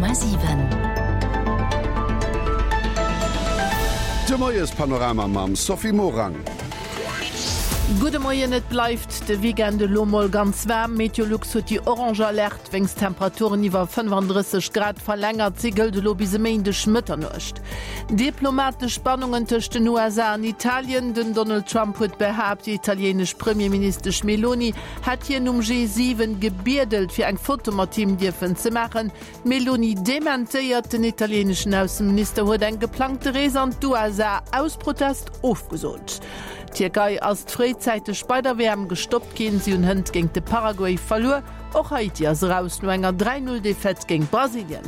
100,7. De Moiespanorama mam Sophie Morang. Gudde Moien, Et bleift de Weekend elo mol ganz waarm. Meteolux huet déi orange Alerte wéinst Temperaturen iwwer 35 Grad verlängert. Si gëllt elo bis e Méindeg Mëtternuecht. Diplomatesch Spannungen tëscht den USA an Italien. Den Donald Trump huet behaapt, déi italieenesch Premierministesch Meloni hätt hien um G7 gebiedelt, fir eng Foto mat him dierfen ze maachen. D'Meloni dementéiert. Den italieeneschen Ausseminister huet eng geplangte Rees an d'USA aus Protest ofgesot. D'Tierkei ass fréizäiteg bei der WM gestoppt ginn. Si hunn hënt géint de Paraguay verluer. Och Haiti ass eraus no enger 3, 0 Defaite géint Brasilien.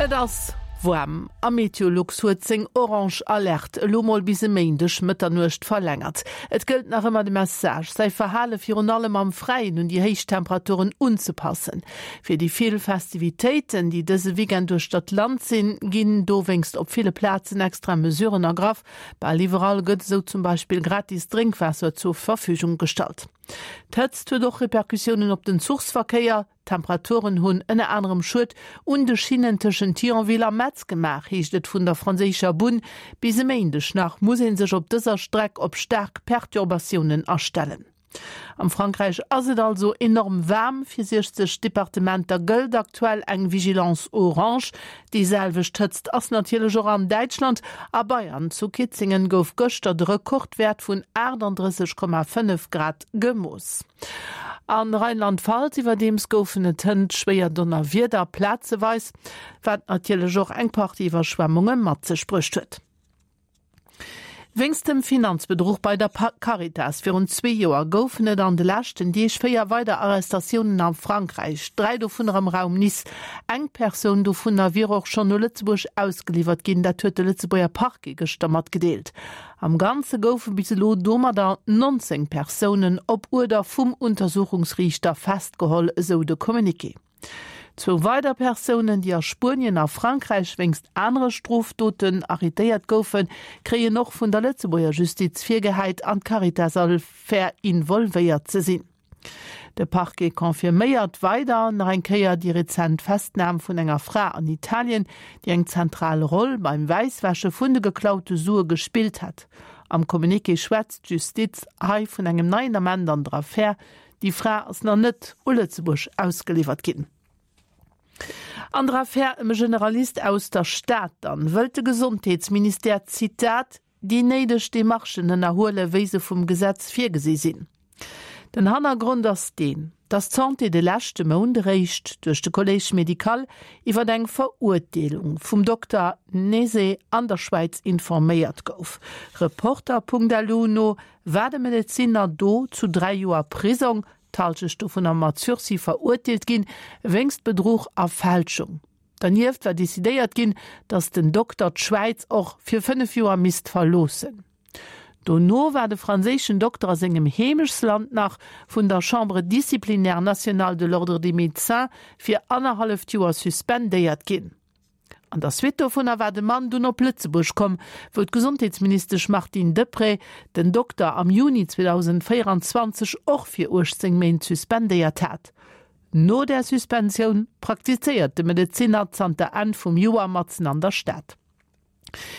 Et ass waarm a Meteolux huet seng orange Alerte elo mol bis e Méindeg Mëtternuecht verlängert. Et gëllt nach ëmmer de Message, säi Verhale virun allem am Fräien un déi héich Temperaturen unzepassen. Fir déi vill Festivitéiten, déi dëse Weekend uechter d'Land sinn, ginn dowéinst op ville Plazen extra Mesuren ergraff. Bal iwwerall gëtt esou zum Beispill gratis Drénkwaasser zur Verfügung gestallt. D'Hëtzt huet och Repercussiounen op den Zuchsverkéier. D'Temperaturen hunn ënner anerem Schued un de Schinnen tëschent Thionville a Metz gemaach, heescht et vun der franséischer Bunn. Bis e Méindeg nach muss ee sech op dëser Streck op staark Perturbatiounen astellen. Am Frankräich ass et also enorm waarm. Fir 60 Departementer gëllt aktuell eng Vigilance orange. Déi selwecht Hëtzt ass natierlech och an Däitschland. A Bayern, zu Kitzingen, gouf gëschter de Rekordwäert vun 38,5 Grad gemooss. A Rheinland-Pfalz iwwerdeems goufen et hënt schwéier Donnerwieder, plazeweis, wat natierlech och eng Partie Iwwerschwemmunge mat sech bruecht huet. Wéinst dem Finanzbedruch bei der Caritas virun zwee Joer goufen et an de leschten Deeg 4 weider Arrestatiounen a Frankräich, 3 dovunner am Raum Nice. Eng Persoun dovunner wier och schonn u Lëtzebuerg ausgeliwwert ginn, dat huet de Lëtzebuerger Parquet gëschter matgedeelt. Am Ganze goufe bis elo domadder 19 Persounen op Uerder vum Untersuchungsriichter festgeholl, esou de Communiqué. Zwou weider Persounen, déi a Spuenien a Frankräich wéinst anere Strofdoten arrêtéiert goufen, kréien och vun der Lëtzebuerger Justiz virgehäit, an d'Caritas-Affär involvéiert ze sinn. De Parquet confirméiert weider nach eng Kéier déi rezent Festnam vun enger Fra an Italien, déi eng zentral Roll beim Wäisswäsche vun de geklaute Sue gespillt hätt. Am Communiqué schwätzt d'Justiz hei vun engem neien Ament an der Affär. Déi Fra ass nach net u Lëtzebuerg ausgeliwwert ginn. An der Affär ëm e Generalist aus der Stad dann wëllt de Gesondheetsministère, Zitat, déi néideg Demarchen ënnerhuelen, wéi se vum Gesetz virgesi sinn. Den Hannergrond ass deen, datt d'Santé de leschte Mount eréischt duerch de Collège médical iwwer eng Verurteelung vum Dokter Nese an der Schwäiz informéiert gouf. Reporter.lu no war de Medezinner do zu 3 Joer Prisong, d'Hallschecht dovunner mat Sursis, verurteelt ginn, wéinst Bedruch a Fälschung. Dernieft war decidéiert ginn, datt den Dokter d'Schwäiz och fir 5 Joer misst verloossen. Dono war de franséischen Dokter a sengem Heemechtsland nach vun der Chambre disciplinaire nationale de l'Ordre des médecins fir annerhalleft Joer suspendéiert ginn. An der Suite dovunner war de Mann dunn op Lëtzebuerg komm, wou d'Gesondheetsministesch Martine Deprez den Dokter am Juni 2024 och fir 18 Méint suspendéiert hat. No där Suspensioun praktizéiert de Medezinner zanter Enn vum Joer matzen an der Stad.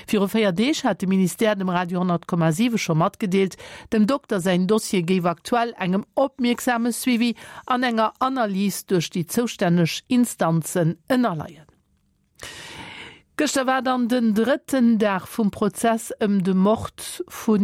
Viru 4 Deeg hat de Ministère dem Radio 10,7 scho matgedeelt, dem Dokter säin Dossier géif aktuell engem opmierksame Suivi an enger Analys duerch déi zoustänneg Instanzen ënnerleien. Gëschter war dann den drëtten Dag vum Prozess ëm de Mord vu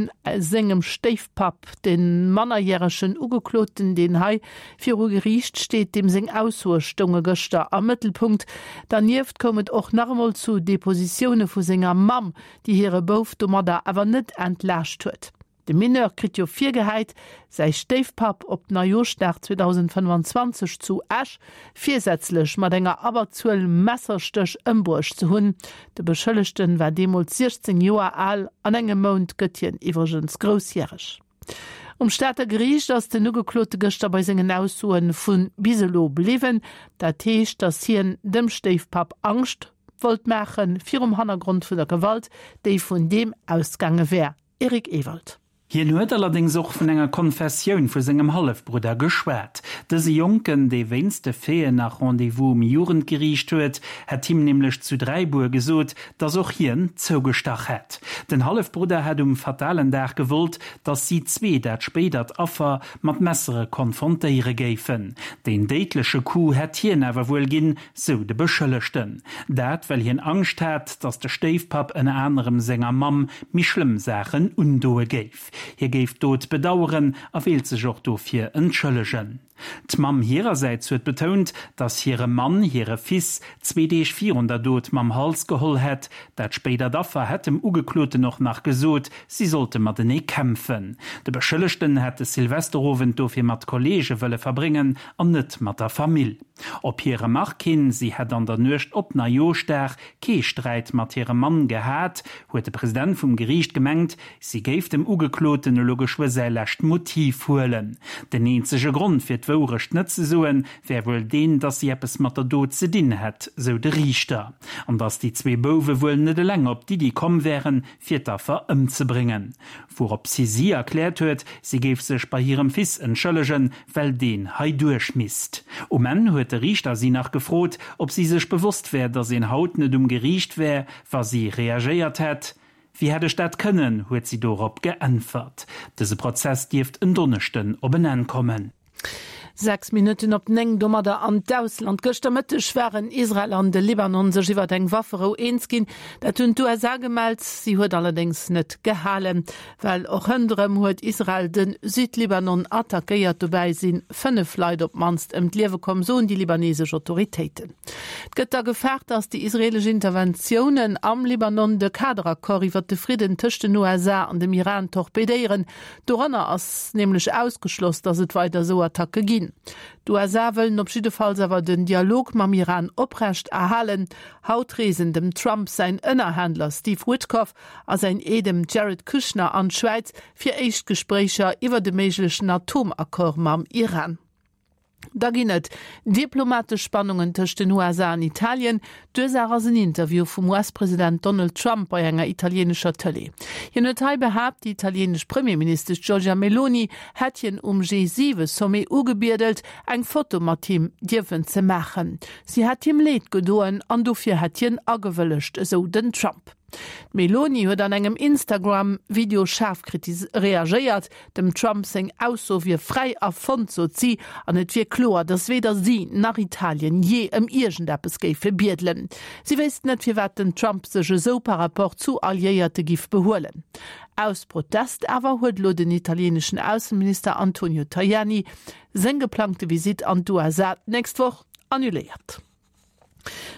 sengem Stéifpapp. De mannerjäregen Ugekloten, deen hei viru Geriicht steet, deem seng Aussoe stounge gëschter am Mëttelpunkt. Dernieft koum et och nach emol zu Depositioune vu senger Mamm, déi hire Bouf domadder awer net entlaascht huet. De Mineur kritt jo virgehäit, säi Stéifpapp op Neijooschdag 2025 zu Esch virsätzlech mat enger Abberzuel Messerstéch ëmbruecht ze hunn. De Beschëllegten war deemools 16 Joer al, an engem Mount gëtt hien iwwregens groussjäreg. Um Stater Geriicht ass den Ugeklote gëschter bei sengen Aussoe vu bis elo bliwwen. Dat heescht, datt hien dem Stéifpapp Angscht wollt maachen, virum Hannergrond vun der Gewalt, déi vun deem ausgaange wär. Eric Ewald. Hien huet allerdéngs och vun enger Konfessioun vu sengem Hallefbrudder geschwat. Dëse Jonken, dee wéinst de Faiten nach Rendez-vous um Jugendgeriicht huet, hätt him nämlech zu Dräibuer gesot, dass och hien zougestach hätt. Den Hallefbrudder hätt um fatalen Dag gewollt, dass si zwee dat spéidert Affer mat Messere konfrontéiere géifen. Deen déidleche Coup hätt hien awer wuel ginn, sou de Beschëllegten. Dat, well hien Angscht hat, dass de Stéifpapp ënner anerem senger Mamm méi schlëmm Saachen undoe géif. Hie géif d'Dot bedaueren a wéilt sech och dofir entschëllegen. D'Mamm hirersäits huet betount, dass hire Mann hire Fils zwee Deeg virun der Dot mam Hals geholl hätt. Dat spéidert Affer hätt dem Ugekloten och nach gesot, si sollte matenee kämpfen. De Beschëllegten hätt de Silvesterowend dofir mat Kolleege wëlle verbréngen an net mat der Famill. Op hir Remark hin, si hätt an der Nuecht op Neijooschdag kee Sträit mat hirem Mann gehat, huet de President vum Geriicht gemengt, si géif dem Ugekloten elo geschwë säi lescht Motiv huelen. Den eenzege Grond fir d'Wourecht net ze soen, wär wuel deen, datt si eppes mat der Dot ze dinn hätt, sou de Riichter. An datt déi zwee Bouwe wuel net eleng op d'Iddi komm wären, fir d'Affer ëmzebréngen. Wourops si si erkläert huet, si géif sech bei hirem Fils entschëllegen, well deen hei duerch misst. Um Enn huet de Riichter si nach gefrot, ob si sech bewosst wär, datt een haut net um Geriicht wär, wa si reagéiert hätt. Wéi hätt ech dat kënnen? huet si dorop geäntwert. Dëse Prozess dierft en Donneschden op en Enn kommen. 6 Minutten op 9, domadder an d'Ausland. Gëschter Mëtteg waren Israel an de Libanon sech iwwer eng Wafferou eens ginn. Dat hunn d'USA gemellt. Si huet allerdéngs net gehalen, well och hënt erëm huet Israel de Südlibanon attackéiert. Dobäi si 5 Leit op d'mannst ëm d'Liewe komm, soen déi libanesesch Autoritéiten. Et gëtt da gefaart, datt déi israeelesch Interventiounen am Libanon de Kaderaccord iwwer de Fridden tëscht den USA an dem Iran torpedéieren. Doranner ass nämlech ausgeschloss, datt et weider esou Attacke ginn. D'USA wëllen op jiddefalls awer den Dialog mam Iran oprecht erhalen. Haut reesen dem Trump säin Ënnerhändler Steve Witkoff a säin Eedem Jared Kushner an d'Schwäiz fir éischt Gespréicher iwwer e méiglechen Atomaccord mam Iran. Da ginn et diplomatesch Spannungen tëscht den USA an Italien. D'Ursaach ass en Interview vum US-President Donald Trump bei enger italieenescher Tëlee. Hien huet hei behaapt, déi italieenesch Premierministesch Giorgia Meloni hätt hien um G7-Sommet ugebiedelt, eng Foto mat him dierfen ze maachen. Si hätt him Leed gedoen an dofir hätt hien agewëllegt, esou den Trump. D'Meloni huet an engem Instagram-Video schaarf reagéiert. Dem Trump seng Ausso wier fräi erfonnt, sot si, an et wier kloer, datt weder si nach Italien jee ëm iergendeppes géife biedelen. Si wéisst net, firwat den Trump sech esou par rapport zu Alliéierte giff behuelen. Aus Protest awer huet elo den italieeneschen Ausseminister Antonio Tajani seng geplangte Visitt an d'USA d'nächst Woch annuléiert.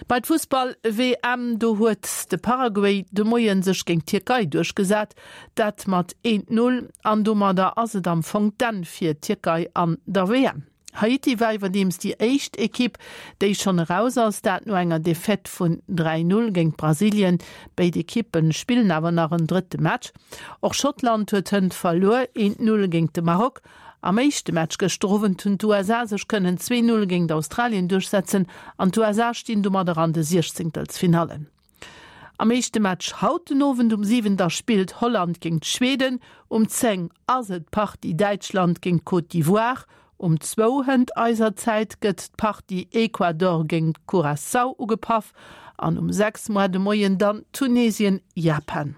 Bei d'Fussball-WM, do huet de Paraguay de Moie sech géint d'Tierkei duerchgesat, dat mat 1, 0 an domadder ass et am Fong d'Enn fir d'Tierkei an der WM. Haiti war iwwerdeems déi éischt Ekipp, déi schonn eraus ass, dat no enger Defaite vun 3, 0 géint Brasilien. Béid Ekippe spillen awer nach en drëtte Match. Och Schottland huet hënt verluer, 1, 0 géint de Maroc. Am éischte Match gëschter Owend hunn d'USA sech kënnen 2, 0 géint Australien duerchsetzen an d'USA stinn domadder an de Siechzéngtelsfinallen. Am éischte Match haut den Owend um 7 da spillt Holland géint Schweden, um 10 ass et d'Partie Däitschland géint Côte d'Ivoire, um zwou hënt eiser Zäit gëtt d'Partie Ecuador géint Curaçao ugepaff an um 6 moar de Moien dann Tunesien-Japan.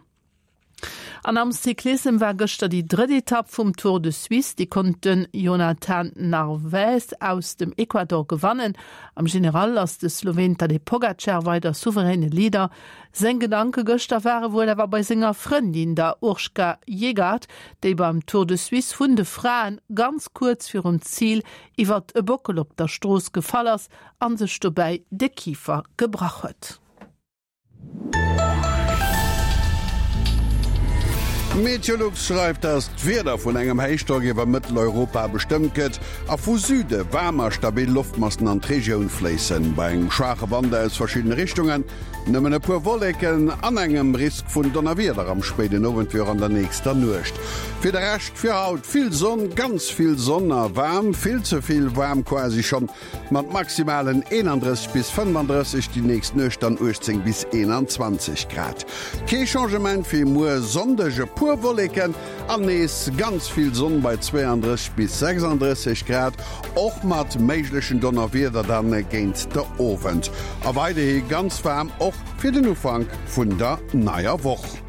An am Cyclissem war gëschter déi drëtt Etapp vum Tour de Suisse. Déi konnt den Jhonatan Narvaez aus dem Ecuador gewannen. Am General ass de Sloween Tadej Pogacar weider souveräne Leader. Seng Gedanke gëschter ware wuel awer bei senger Frëndin, der Urška Jegard, déi beim Tour de Suisse vun de Fraen ganz kuerz virum Zil iwwert e Bockel op der Strooss gefall ass a sech dobäi de Kifer gebrach huet. Meteolux schreift, dass d'Wieder vun engem Héichdrock iwwer Mëtteleuropa bestëmmt gëtt a vu Süde waarm a stabil Loftmassen an d'Regioun fléissen. Bei engem schwaache Wand aus verschiddene Richtungen, nëmmen e puer Wolleken an engem Risk vun Donnerwieder am spéiden Owend wéi och an der nächster Nuecht. Fir de Rescht fir haut, vill Sonn, ganz vill Sonn a waarm, vill ze vill waarm quasi schonn. Mat maximalen 31 bis 35, déi nächst Nuecht dann 18 bis 21 Grad. Kee Changement fir muer Sonndeg, e puer. puer Wolleken an nees ganz vill Sonn bei 32 bis 36 Grad, och mat méiglechen Donnerwieder dann géint de Owend. A weiderhi ganz waarm och fir den Ufank vun der neier Woch.